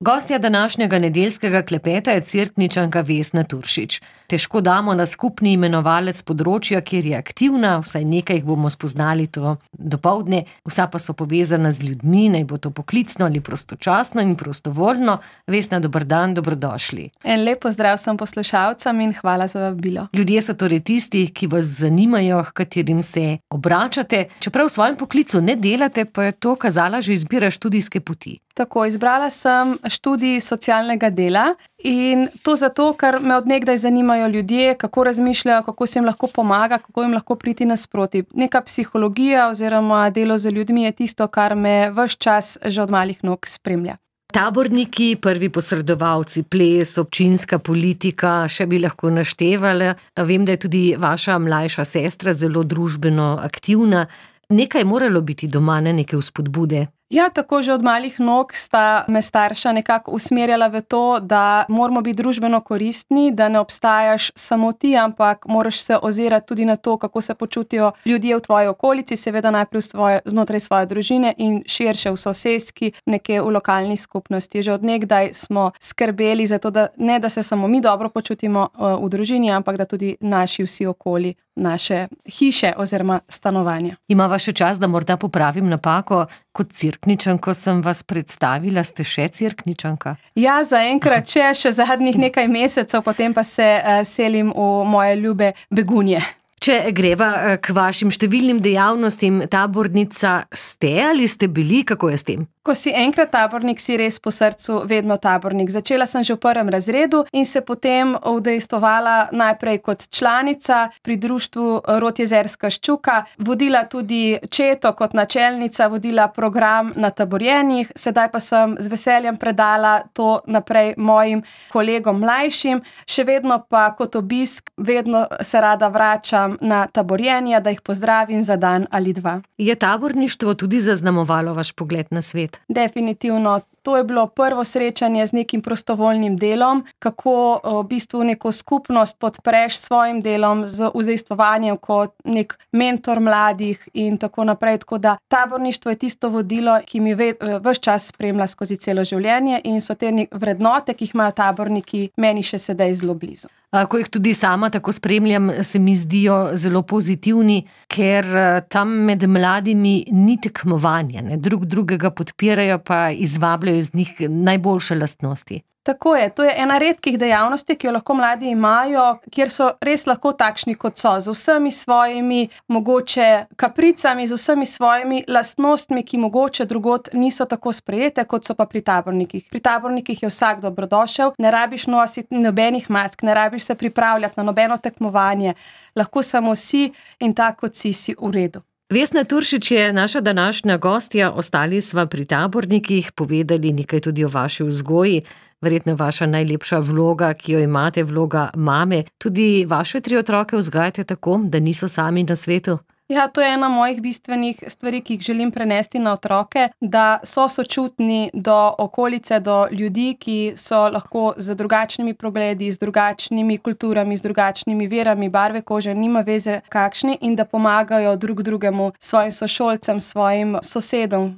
Gostja današnjega nedeljskega klepeta je Cerkničanka Vesna Turšič. Težko damo na skupni imenovalec področja, kjer je aktivna, vsaj nekaj jih bomo spoznali to dopoldne, vsa pa so povezana z ljudmi, naj bo to poklicno ali prostočasno in prostovoljno. Vesna, dober dan, dobrodošli. En lep pozdrav vsem poslušalcem in hvala za vabilo. Ljudje so torej tisti, ki vas zanimajo, h katerim se obračate. Čeprav v svojem poklicu ne delate, pa je to kazala že izbira študijske poti. Tako, izbrala sem študij socialnega dela in to zato, ker me od nekdaj zanimajo ljudje, kako razmišljajo, kako se jim lahko pomaga, kako jim lahko priti nasproti. Neka psihologija oziroma delo z ljudmi je tisto, kar me ves čas že od malih nog spremlja. Taborniki, prvi posredovalci, ples, občinska politika, še bi lahko naštevala. Vem, da je tudi vaša mlajša sestra zelo družbeno aktivna. Nekaj je moralo biti doma, ne neke vzpodbude. Ja, tako že od malih nog sta me starša nekako usmerjala v to, da moramo biti družbeno koristni, da ne obstajaš samo ti, ampak moraš se ozirati tudi na to, kako se počutijo ljudje v tvoji okolici, seveda najprej znotraj svoje družine in širše v soseski, nekje v lokalni skupnosti. Že od nekdaj smo skrbeli za to, da se samo mi dobro počutimo v družini, ampak da tudi naši vsi okoli, naše hiše oziroma stanovanja. Imava še čas, da morda popravim napako. Kot Cerkničanko sem vas predstavila, ste še Cerkničanka? Ja, zaenkrat še zadnjih nekaj mesecev, potem pa se selim v moje ljube Begunje. Če greva k vašim številnim dejavnostim, tabornica ste ali ste bili, kako je s tem? Ko si enkrat tabornik, si res po srcu vedno tabornik. Začela sem že v 1. razredu in se potem udejstvovala najprej kot članica pri društvu Rod Jezerska ščuka, vodila tudi četo kot načelnica, vodila program na taborjenjih, sedaj pa sem z veseljem predala to naprej mojim kolegom mlajšim, še vedno pa kot obisk, vedno se rada vračam na taborjenja, da jih pozdravim za dan ali dva. Je taborništvo tudi zaznamovalo vaš pogled na svet? Definitivno. To je bilo prvo srečanje z nekim prostovoljnim delom, kako v bistvu neko skupnost podpreš s svojim delom, z udejstvovanjem kot nek mentor mladih in tako naprej. Tako da taborništvo je tisto vodilo, ki mi ves čas spremlja skozi celo življenje in so te vrednote, ki jih imajo taborniki, meni še sedaj zelo blizu. Ko jih tudi sama tako spremljam, se mi zdijo zelo pozitivni, ker tam med mladimi ni tekmovanja, ne? Drugega podpirajo pa izvabljajo iz njih najboljše lastnosti. Tako je, to je ena redkih dejavnosti, ki jo lahko mladi imajo, kjer so res lahko takšni, kot so, z vsemi svojimi mogoče kapricami, z vsemi svojimi lastnostmi, ki mogoče drugod niso tako sprejete, kot so pa pri tabornikih. Pri tabornikih je vsak dobrodošel, ne rabiš nositi nobenih mask, ne rabiš se pripravljati na nobeno tekmovanje, lahko samo si in tako kot si v redu. Vesna Turšič je naša današnja gostja, ostali sva pri tabornikih, povedali nekaj tudi o vaši vzgoji, verjetno vaša najlepša vloga, ki jo imate, vloga mame. Tudi vaše 3 otroke vzgajate tako, da niso sami na svetu? Ja, to je ena mojih bistvenih stvari, ki jih želim prenesti na otroke, da so sočutni do okolice, do ljudi, ki so lahko z drugačnimi pogledi, z drugačnimi kulturami, z drugačnimi verami, barve kože, nima veze kakšni, in da pomagajo drug drugemu, svojim sošolcem, svojim sosedom,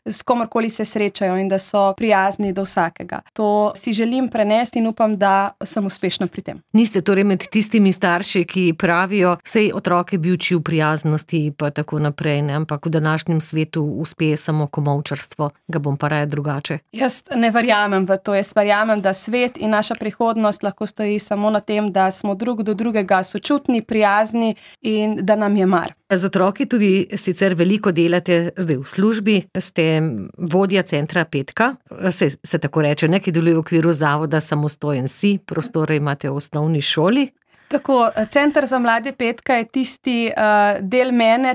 s komorkoli se srečajo in da so prijazni do vsakega. To si želim prenesti in upam, da sem uspešna pri tem. Niste torej med tistimi starši, ki pravijo, sej otroke bi v prijaznosti pa tako naprej, ne? Ampak v današnjem svetu uspe samo komolčarstvo, ga bom pa raje drugače. Jaz ne verjamem v to, jaz verjamem, da svet in naša prihodnost lahko stoji samo na tem, da smo drug do drugega sočutni, prijazni in da nam je mar. Z otroki tudi sicer veliko delate zdaj v službi, ste vodja centra Petka, se tako reče, ki deluje v okviru zavoda Samostojen si, prostore imate v osnovni šoli. Tako, Center za mlade Petka je tisti del mene,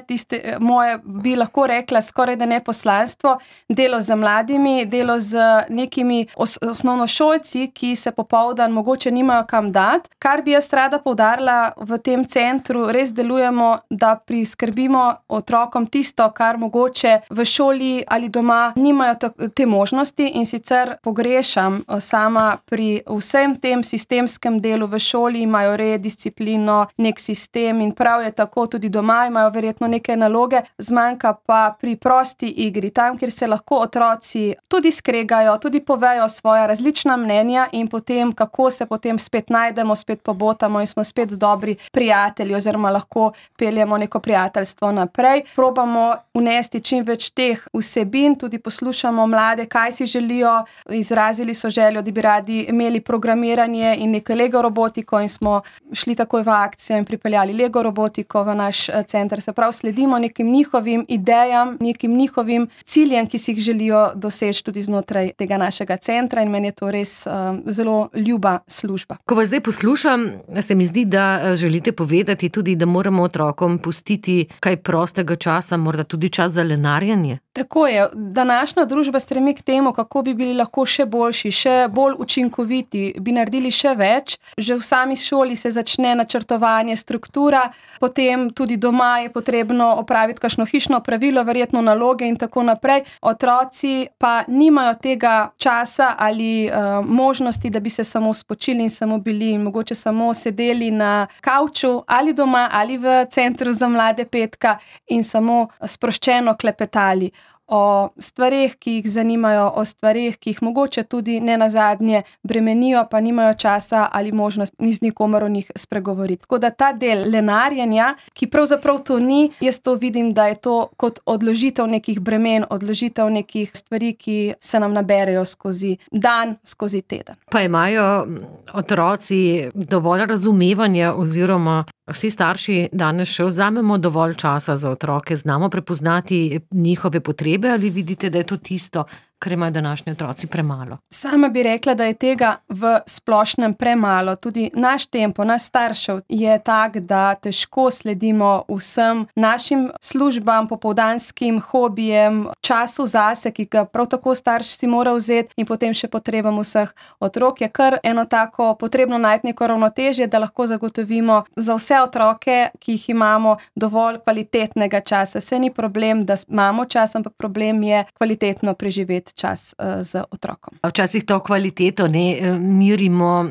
moje, bi lahko rekla, skoraj da ne poslanstvo, delo z mladimi, delo z nekimi osnovnošolci, ki se popoldan mogoče nimajo kam dati. Kar bi jaz rada poudarila v tem centru, res delujemo, da priskrbimo otrokom tisto, kar mogoče v šoli ali doma nimajo te možnosti, in sicer pogrešam sama pri vsem tem sistemskem delu v šoli, imajo red, disciplino, nek sistem in prav je tako, tudi doma imajo verjetno neke naloge, zmanjka pa pri prosti igri, tam, kjer se lahko otroci tudi skregajo, tudi povejo svoja različna mnenja in potem, kako se potem spet najdemo, spet pobotamo in smo spet dobri prijatelji oziroma lahko peljemo neko prijateljstvo naprej. Probamo vnesti čim več teh vsebin, tudi poslušamo mlade, kaj si želijo, izrazili so željo, da bi radi imeli programiranje in neko Lego robotiko in smo šli takoj v akcijo in pripeljali Lego robotiko v naš center. Se pravi, sledimo nekim njihovim idejam, nekim njihovim ciljem, ki si jih želijo doseči tudi znotraj tega našega centra in meni je to res zelo ljuba služba. Ko vas zdaj poslušam, se mi zdi, da želite povedati tudi, da moramo otrokom pustiti kaj prostega časa, morda tudi čas za lenarjenje. Tako je. Današnja družba stremi k temu, kako bi bili lahko še boljši, še bolj učinkoviti, bi naredili še več. Že v sami šoli se začne načrtovanje, struktura, potem tudi doma je potrebno opraviti kakšno hišno pravilo, verjetno naloge in tako naprej. Otroci pa nimajo tega časa ali možnosti, da bi se samo spočili in samo bili in mogoče samo sedeli na kavču ali doma ali v centru za mlade Petka in samo sproščeno klepetali o stvareh, ki jih zanimajo, o stvareh, ki jih mogoče tudi nenazadnje bremenijo, pa nimajo časa ali možnost ni z nikomer o njih spregovoriti. Tako da ta del lenarjenja, ki pravzaprav to ni, jaz to vidim, da je to kot odložitev nekih bremen, odložitev nekih stvari, ki se nam naberejo skozi dan, skozi teden. Pa imajo otroci dovolj razumevanja oziroma vsi starši danes še vzamemo dovolj časa za otroke, znamo prepoznati njihove potrebe ali vidite, da je to tisto, kar imajo današnji otroci premalo? Sama bi rekla, da je tega v splošnem premalo. Tudi naš tempo, naš staršev je tak, da težko sledimo vsem našim službam, popoldanskim hobijem, času zase, ki ga prav tako starš si mora vzeti in potem še potrebam vseh otrok. Je kar eno tako potrebno najti neko ravnotežje, da lahko zagotovimo za vse otroke, ki jih imamo, dovolj kvalitetnega časa. Se ni problem, da imamo čas, ampak problem je kvalitetno preživeti čas z otrokom. Včasih to kvaliteto ne mirimo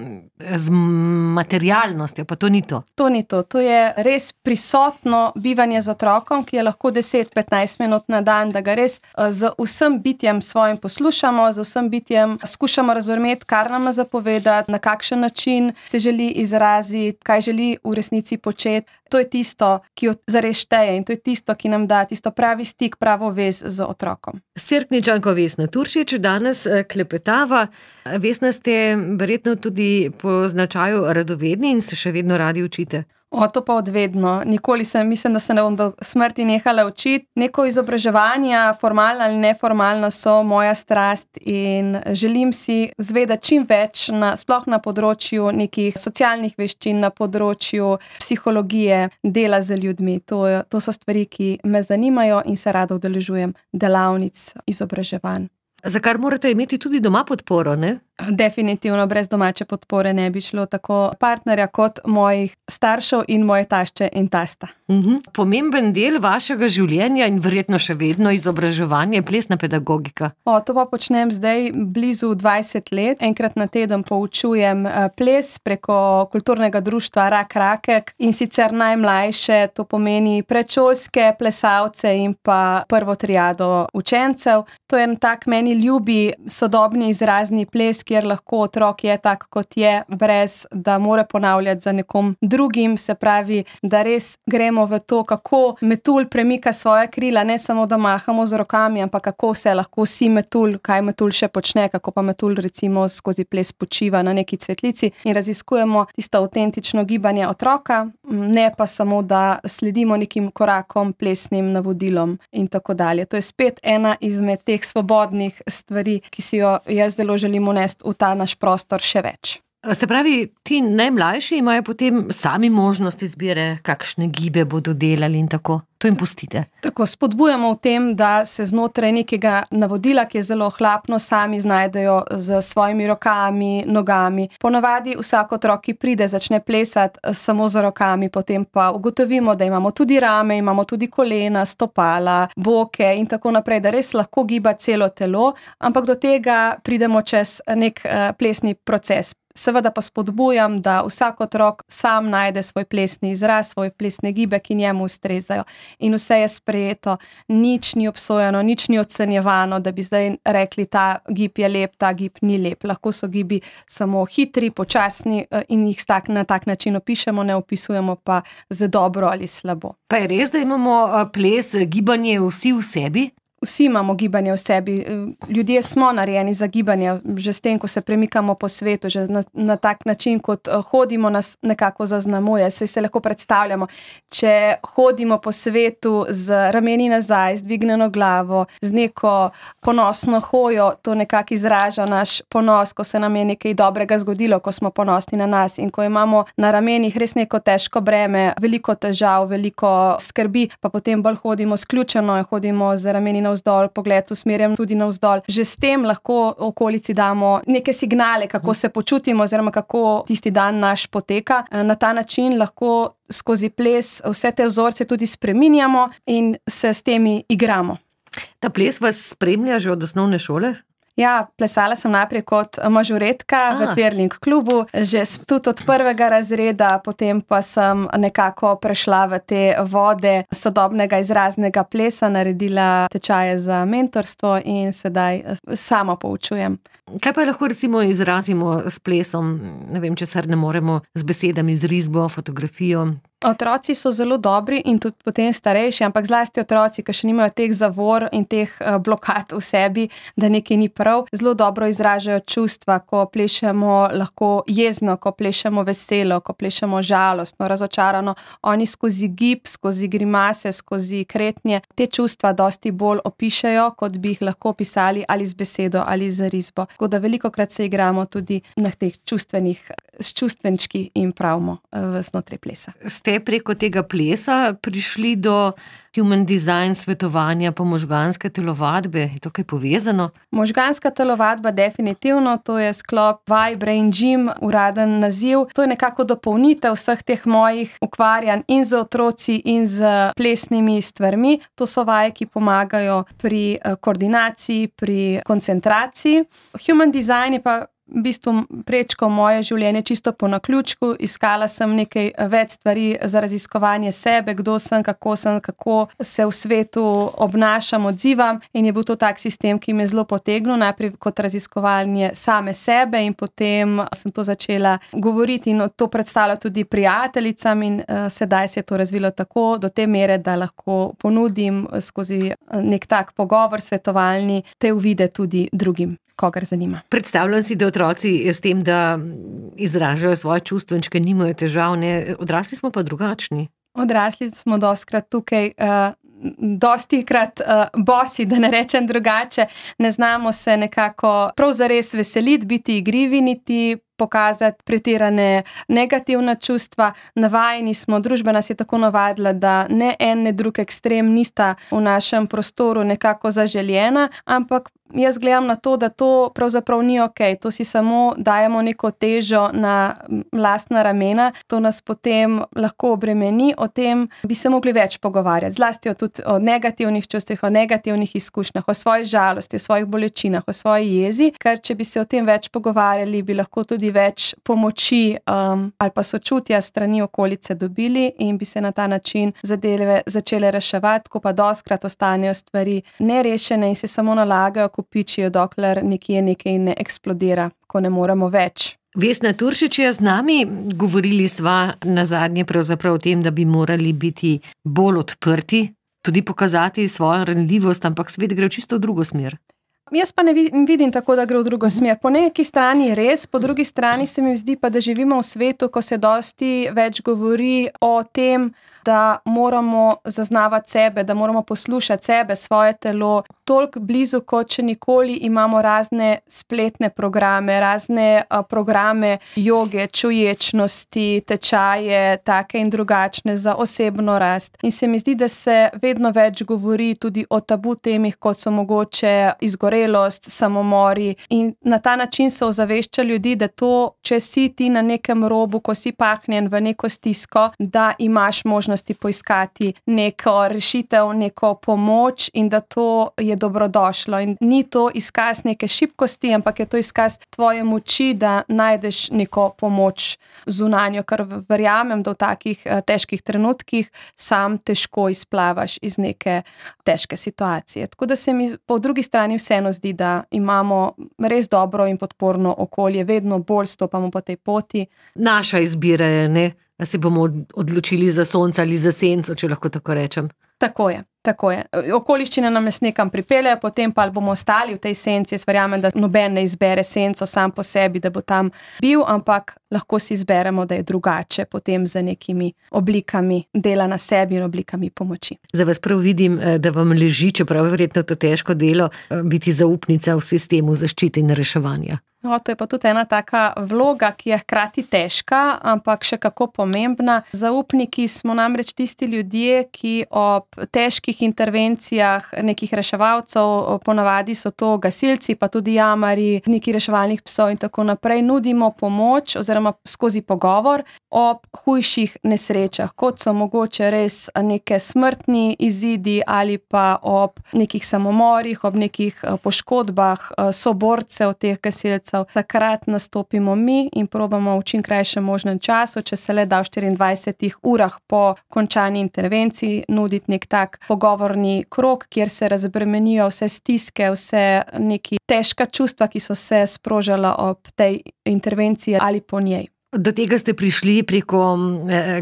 z materialnostjo, pa to ni to. To ni to. To je res prisotno bivanje z otrokom, ki je lahko 10-15 minut na dan, da ga res z vsem bitjem svojim poslušamo, z vsem bitjem skušamo razumeti, kar nam zapovedati, na kakšen način se želi izraziti, kaj želi v resnici početi. To je tisto, ki jo zares šteje in to je tisto, ki nam da tisto pravi stik, pravo vez z otrokom. S Cerkničanko Vesno Turšič danes klepetava. Vesna, ste verjetno tudi po značaju radovedni in se še vedno radi učite. To pa odvedno. Nikoli mislim, da se ne bom do smrti nehala učiti. Neko izobraževanja, formalna ali neformalna, so moja strast in želim si zvedeti čim več, sploh na področju nekih socialnih veščin, na področju psihologije, dela z ljudmi. To so stvari, ki me zanimajo in se rada udeležujem delavnic, izobraževanj. Za kar morate imeti tudi doma podporo, ne? Definitivno, brez domače podpore ne bi šlo, tako partnerja kot mojih staršev in moje tašče in tasta. Pomemben del vašega življenja in verjetno še vedno izobraževanje je plesna pedagogika. To pa počnem zdaj blizu 20 let. Enkrat na teden poučujem ples preko kulturnega društva Rak Rakek in sicer najmlajše, to pomeni predšolske plesalce in pa prvo triado učencev. To je en tak meni ljubi sodobni izrazni ples, kjer lahko otrok je tak, kot je, brez da mora ponavljati za nekom drugim, se pravi, da res gremo v to, kako metulj premika svoje krila, ne samo da mahamo z rokami, ampak kako se lahko si metulj, kaj metulj še počne, kako pa metulj recimo skozi ples počiva na neki cvetlici in raziskujemo tisto avtentično gibanje otroka, ne pa samo, da sledimo nekim korakom, plesnim navodilom in tako dalje. To je spet ena izmed teh svobodnih stvari, ki si jo jaz zelo želim unesti v ta naš prostor še več. Se pravi, ti najmlajši imajo potem sami možnost izbire, kakšne gibe bodo delali in tako. To jim pustite. Tako, spodbujamo v tem, da se znotraj nekega navodila, ki je zelo ohlapno, sami znajdejo z svojimi rokami, nogami. Ponavadi vsak otrok, ki pride, začne plesati samo z rokami, potem pa ugotovimo, da imamo tudi rame, imamo tudi kolena, stopala, boke in tako naprej, da res lahko giba celo telo, ampak do tega pridemo čez nek plesni proces. Seveda pa spodbujam, da vsak otrok sam najde svoj plesni izraz, svoje plesne gibe, ki njemu ustrezajo. In vse je sprejeto, nič ni obsojeno, nič ni ocenjevano, da bi zdaj rekli, ta gib je lep, ta gib ni lep. Lahko so gibi samo hitri, počasni in jih na tak način opišemo, ne opisujemo pa za dobro ali slabo. Pa je res, da imamo ples, gibanje vsi v sebi? Vsi imamo gibanje v sebi, ljudje smo narejeni za gibanje, že s tem, ko se premikamo po svetu, že na tak način, kot hodimo, nas nekako zaznamuje, saj se lahko predstavljamo. Če hodimo po svetu z rameni nazaj, z dvignjeno glavo, z neko ponosno hojo, to nekako izraža naš ponos, ko se nam je nekaj dobrega zgodilo, ko smo ponosni na nas in ko imamo na ramenih res neko težko breme, veliko težav, veliko skrbi, pa potem bolj hodimo sključeno, hodimo z rameni navzdol, pogled usmerjam tudi navzdol. Že s tem lahko okolici damo neke signale, kako se počutimo oziroma kako tisti dan naš poteka. Na ta način lahko skozi ples vse te vzorce tudi spreminjamo in se s temi igramo. Ta ples vas spremlja že od osnovne šole? Ja, plesala sem najprej kot mažoretka v Twirling klubu, že tudi od 1. razreda, potem pa sem nekako prešla v te vode sodobnega izraznega plesa, naredila tečaje za mentorstvo in sedaj sama poučujem. Kaj pa lahko recimo izrazimo s plesom? Ne vem, česar ne moremo z besedami, z risbo, fotografijo. Otroci so zelo dobri in tudi potem starejši, ampak zlasti otroci, ki še nimajo teh zavor in teh blokad v sebi, da nekaj ni prav, zelo dobro izražajo čustva, ko plešemo lahko jezno, ko plešemo veselo, ko plešemo žalostno, razočarano. Oni skozi gib, skozi grimase, skozi kretnje te čustva dosti bolj opišejo, kot bi jih lahko pisali ali z besedo ali z risbo. Tako da velikokrat se igramo tudi na teh s čustvenčki in pravimo znotraj plesa. Ste preko tega plesa prišli do human design svetovanja po možganske telovadbe? Je to kaj povezano? Možganska telovadba definitivno, to je sklop vaj Brain Gym, uraden naziv. To je nekako dopolnitev vseh teh mojih ukvarjanj in z otroci in z plesnimi stvarmi. To so vaje, ki pomagajo pri koordinaciji, pri koncentraciji. Human design je pa v bistvu prečkal moje življenje čisto po naključku, iskala sem nekaj več stvari za raziskovanje sebe, kdo sem, kako se v svetu obnašam, odzivam in je bil to tak sistem, ki me zelo potegnil, najprej kot raziskovanje same sebe in potem sem to začela govoriti in to predstavlja tudi prijateljicam in sedaj se je to razvilo tako do te mere, da lahko ponudim skozi nek tak pogovor svetovalni te uvide tudi drugim, kogar zanima. Predstavljam si, da otroci s tem, da izražajo svoje čustvenčke, nimajo težav, ne? Odrasli smo pa drugačni. Odrasli smo dostikrat tukaj, dostikrat bosi, da ne rečem drugače, ne znamo se nekako prav zares veseliti, biti igrivi, niti pokazati pretirane negativna čustva. Navajeni smo, družba nas je tako navadila, da ne en, ne drug ekstrem nista v našem prostoru nekako zaželjena, ampak jaz gledam na to, da to pravzaprav ni okej. To si samo dajemo neko težo na lastna ramena, to nas potem lahko obremeni, o tem bi se mogli več pogovarjati, zlasti tudi o negativnih čustvih, o negativnih izkušnjah, o svoji žalosti, o svojih bolečinah, o svoji jezi, ker če bi se o tem več pogovarjali, bi lahko tudi več pomoči ali pa sočutja strani okolice dobili in bi se na ta način zadeve začele reševati, ko pa dostikrat ostanejo stvari nerešene in se samo nalagajo, kopičijo, dokler nekje nekaj ne eksplodira, ko ne moremo več. Vesna Turšič je z nami, govorili sva nazadnje pravzaprav o tem, da bi morali biti bolj odprti, tudi pokazati svojo ranljivost, ampak svet gre čisto v drugo smer. Jaz pa ne vidim tako, da gre v drugo smer. Po neki strani je res, po drugi strani se mi zdi pa, da živimo v svetu, ko se dosti več govori o tem, da moramo zaznavati sebe, da moramo poslušati sebe, svoje telo. Toliko blizu, kot če nikoli imamo razne spletne programe, razne programe joge, čuječnosti, tečaje, take in drugačne za osebno rast. In se mi zdi, da se vedno več govori tudi o tabu temih, kot so mogoče izgorelost, samomori. In na ta način se ozavešča ljudi, da to, če si ti na nekem robu, ko si pahnjen v neko stisko, da imaš možnost možnosti poiskati neko rešitev, neko pomoč in da to je dobrodošlo. In ni to izkaz neke šibkosti, ampak je to izkaz tvoje moči, da najdeš neko pomoč zunanjo, ker verjamem, da v takih težkih trenutkih sam težko izplavaš iz neke težke situacije. Tako da se mi po drugi strani vseeno zdi, da imamo res dobro in podporno okolje, vedno bolj stopamo po tej poti. Naša izbira je, ne? Da se bomo odločili za sonce ali za senco, če lahko tako rečem. Tako je. Okoliščine nam nas nekam pripeljejo, potem pa bomo ostali v tej senci. Jaz verjamem, da noben ne izbere senco sam po sebi, da bo tam bil, ampak lahko si izberemo, da je drugače potem za nekimi oblikami dela na sebi in oblikami pomoči. Za vas prav vidim, da vam leži, čeprav je verjetno to težko delo, biti zaupnica v sistemu zaščite in reševanja. No, to je pa tudi ena taka vloga, ki je hkrati težka, ampak še kako pomembna. Zaupniki smo namreč tisti ljudje, ki ob težkih intervencijah nekih reševalcev, ponavadi so to gasilci, pa tudi jamarji, neki reševalnih psov in tako naprej, nudimo pomoč oziroma skozi pogovor ob hujših nesrečah, kot so mogoče res neke smrtni izidi ali pa ob nekih samomorih, ob nekih poškodbah soborcev teh gasilcev. Takrat nastopimo mi in probamo v čim krajšem možnem času, če se le da v 24 urah po končani intervenciji, nuditi nek tak pogovorni krog, kjer se razbremenijo vse stiske, vse neki težka čustva, ki so se sprožala ob tej intervenciji ali po njej. Do tega ste prišli preko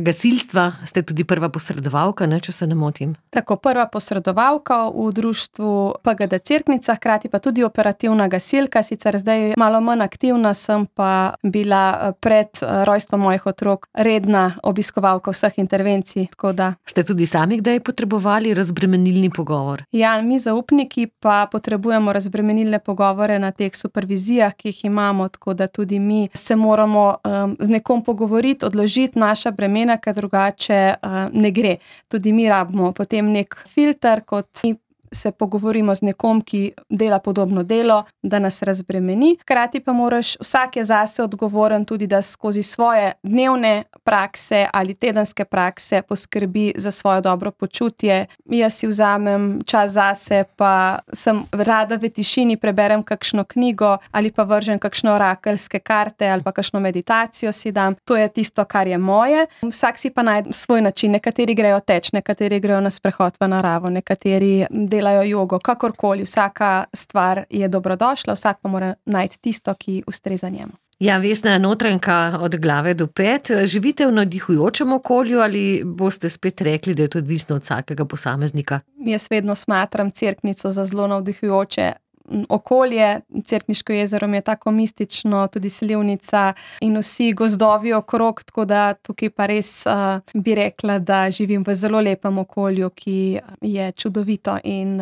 gasilstva, ste tudi prva posredovalka, ne, če se ne motim. Tako, prva posredovalka v društvu PGD Cerknica, hkrati pa tudi operativna gasilka, sicer zdaj malo manj aktivna, sem pa bila pred rojstvom mojih otrok redna obiskovalka vseh intervencij, tako da. Ste tudi sami kdaj potrebovali razbremenilni pogovor? Ja, mi zaupniki pa potrebujemo razbremenilne pogovore na teh supervizijah, ki jih imamo, tako da tudi mi se moramo z nekom pogovoriti, odložiti naša bremena, ker drugače ne gre. Tudi mi rabimo potem nek filter, kot mi se pogovorimo z nekom, ki dela podobno delo, da nas razbremeni. Hkrati pa moraš, vsak je zase odgovoren tudi, da skozi svoje dnevne prakse ali tedenske prakse poskrbi za svoje dobro počutje. Jaz si vzamem čas zase, pa sem rada v tišini, preberem kakšno knjigo ali pa vržem kakšno orakelske karte ali pa kakšno meditacijo si dam. To je tisto, kar je moje. Vsak si pa najde svoj način. Nekateri grejo teč, nekateri grejo na sprehod v naravo, nekateri delajo jogo, kakorkoli, vsaka stvar je dobrodošla, vsak pa mora najti tisto, ki ustreza njemu. Ja, Vesna Notranjka, od glave do pet. Živite v navdihujočem okolju ali boste spet rekli, da je to odvisno od vsakega posameznika? Jaz vedno smatram Cerknico za zelo navdihujoče okolje. Cerkniško jezero mi je tako mistično, tudi slivnica in vsi gozdovi okrog, tako da tukaj pa res bi rekla, da živim v zelo lepem okolju, ki je čudovito in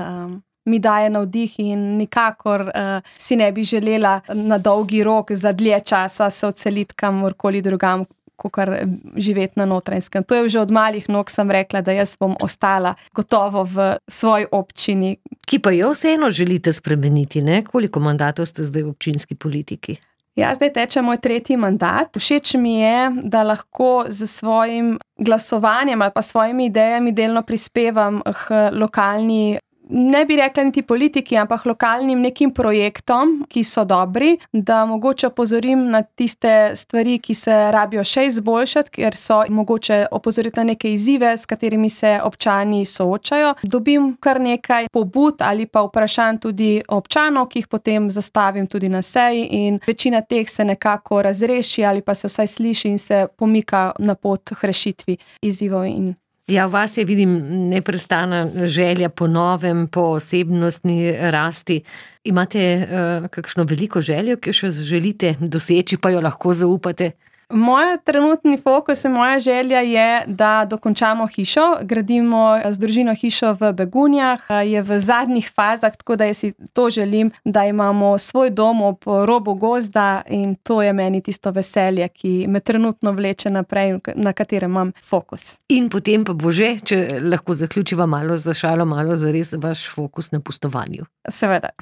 mi daje navdih in nikakor si ne bi želela na dolgi rok za dlje časa se odseliti kamorkoli drugam, kakor živeti na Notranjskem. To je že od malih nog sem rekla, da jaz bom ostala gotovo v svoji občini. Ki pa jo vseeno želite spremeniti, ne? Koliko mandatov ste zdaj v občinski politiki? Ja, zdaj teče moj 3. mandat. Všeč mi je, da lahko z svojim glasovanjem ali pa svojimi idejami delno prispevam k lokalni, ne bi rekla niti politiki, ampak lokalnim nekim projektom, ki so dobri, da mogoče opozorim na tiste stvari, ki se rabijo še izboljšati, ker so mogoče opozoriti na neke izzive, s katerimi se občani soočajo. Dobim kar nekaj pobud ali pa vprašanj tudi občanov, ki jih potem zastavim tudi na seji in večina teh se nekako razreši ali pa se vsaj sliši in se pomika na pot k rešitvi izzivov in Ja, v vas je, vidim, neprestana želja po novem, po osebnostni rasti. Imate kakšno veliko željo, ki jo še želite doseči, pa jo lahko zaupate? Moj trenutni fokus in moja želja je, da dokončamo hišo. Gradimo z družino hišo v Begunjah, je v zadnjih fazah, tako da jaz si to želim, da imamo svoj dom ob robu gozda in to je meni tisto veselje, ki me trenutno vleče naprej, na katerem imam fokus. In potem pa bo že, če lahko zaključiva malo za šalo, malo za res vaš fokus na pustovanju. Seveda.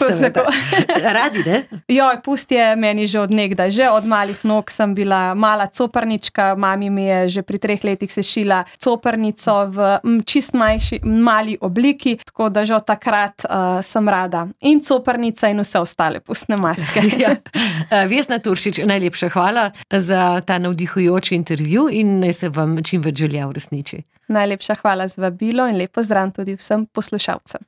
Radi, ne? Joj, pust je meni že od nekdaj, že od malih nog sem bila mala coprnička, mami mi je že pri 3 letih sešila coprnico v čist mali obliki, tako da že od takrat sem rada. In coprnica in vse ostale pustne maske. Vesna Turšič, najlepša hvala za ta navdihujoč intervju in naj se vam čim več želja uresniči. Najlepša hvala za vabilo in lep pozdrav tudi vsem poslušalcem.